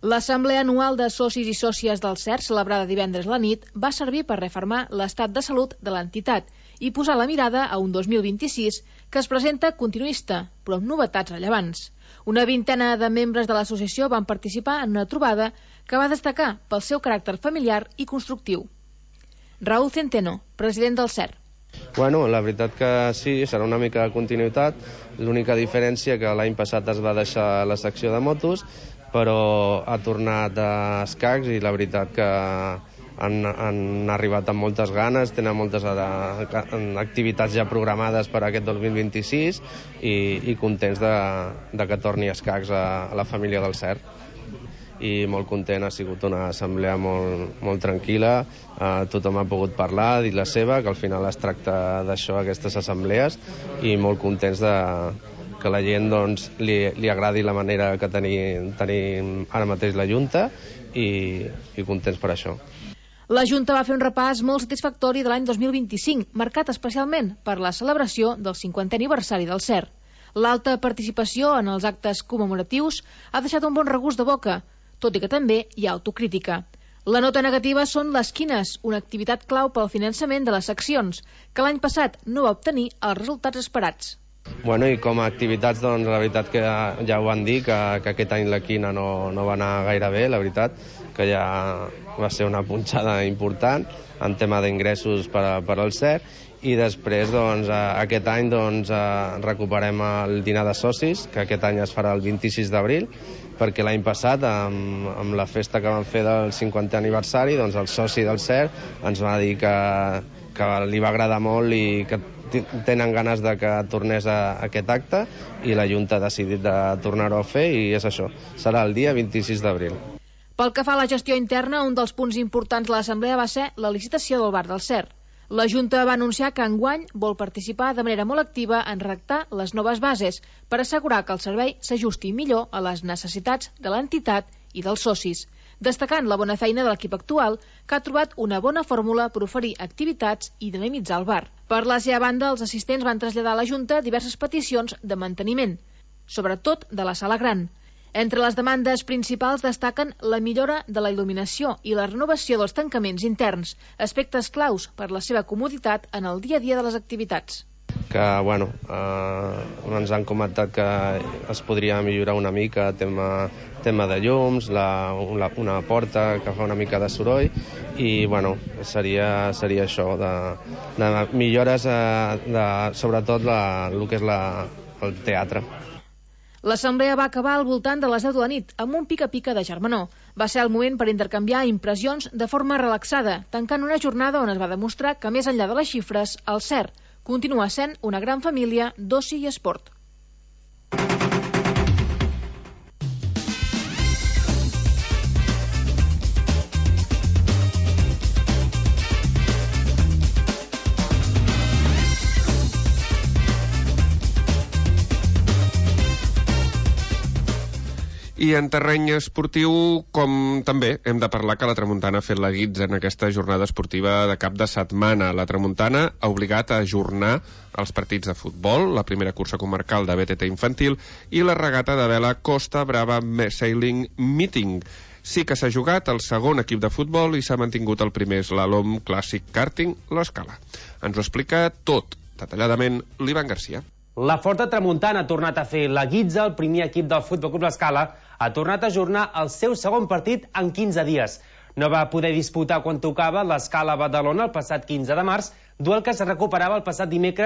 L'assemblea anual de socis i sòcies del CERC, celebrada divendres a la nit, va servir per refermar l'estat de salut de l'entitat i posar la mirada a un 2026 que es presenta continuista, però amb novetats rellevants. Una vintena de membres de l'associació van participar en una trobada que va destacar pel seu caràcter familiar i constructiu. Raúl Centeno, president del CERC. Bueno, la veritat que sí, serà una mica de continuïtat. L'única diferència que l'any passat es va deixar la secció de motos, però ha tornat a escacs i la veritat que han arribat amb moltes ganes, tenen moltes activitats ja programades per a aquest 2026 i contents de que torni a escacs a la família del CERC. I molt content, ha sigut una assemblea molt tranquil·la, tothom ha pogut parlar, dir la seva, que al final es tracta d'això, aquestes assemblees, i molt contents que la gent li agradi la manera que tenim ara mateix la Junta i contents per això. La Junta va fer un repàs molt satisfactori de l'any 2025, marcat especialment per la celebració del 50è aniversari del CERC. L'alta participació en els actes commemoratius ha deixat un bon regust de boca, tot i que també hi ha autocrítica. La nota negativa són les quines, una activitat clau pel finançament de les seccions, que l'any passat no va obtenir els resultats esperats. Bueno, i com a activitats, doncs, la veritat que ja ho van dir, que aquest any la quina no va anar gaire bé, la veritat, que ja va ser una punxada important en tema d'ingressos per al CERC, i després aquest any recuperem el dinar de socis, que aquest any es farà el 26 d'abril, perquè l'any passat, amb la festa que van fer del 50è aniversari, el soci del CERC ens va dir que li va agradar molt i que tenen ganes de que tornés a aquest acte, i la Junta ha decidit de tornar-ho a fer, i és això, serà el dia 26 d'abril. Pel que fa a la gestió interna, un dels punts importants de l'assemblea va ser la licitació del bar del CERC. La Junta va anunciar que enguany vol participar de manera molt activa en redactar les noves bases per assegurar que el servei s'ajusti millor a les necessitats de l'entitat i dels socis, destacant la bona feina de l'equip actual, que ha trobat una bona fórmula per oferir activitats i dinamitzar el bar. Per la seva banda, els assistents van traslladar a la Junta diverses peticions de manteniment, sobretot de la sala gran. Entre les demandes principals destaquen la millora de la il·luminació i la renovació dels tancaments interns, aspectes claus per la seva comoditat en el dia a dia de les activitats. Que, bueno, ens han comentat que es podria millorar una mica tema de llums, una porta que fa una mica de soroll, i, bueno, seria això, de millores, sobretot el que és el teatre. L'assemblea va acabar al voltant de les 10 de la nit, amb un pica-pica de germanor. Va ser el moment per intercanviar impressions de forma relaxada, tancant una jornada on es va demostrar que, més enllà de les xifres, el CERC continua sent una gran família d'oci i esport. I en terreny esportiu, com també hem de parlar que la Tramuntana ha fet la guitza en aquesta jornada esportiva de cap de setmana. La Tramuntana ha obligat a ajornar els partits de futbol, la primera cursa comarcal de BTT infantil i la regata de vela Costa Brava Sailing Meeting. Sí que s'ha jugat el segon equip de futbol i s'ha mantingut el primer slalom clàssic karting, l'Escala. Ens ho explica tot, detalladament, l'Ivan Garcia. La Forta Tramuntana ha tornat a fer la guitza. El primer equip del Futbol Club L'Escala ha tornat a ajornar el seu segon partit en 15 dies. No va poder disputar quan tocava l'Escala Badalona el passat 15 de març, duel que es recuperava el passat dimecres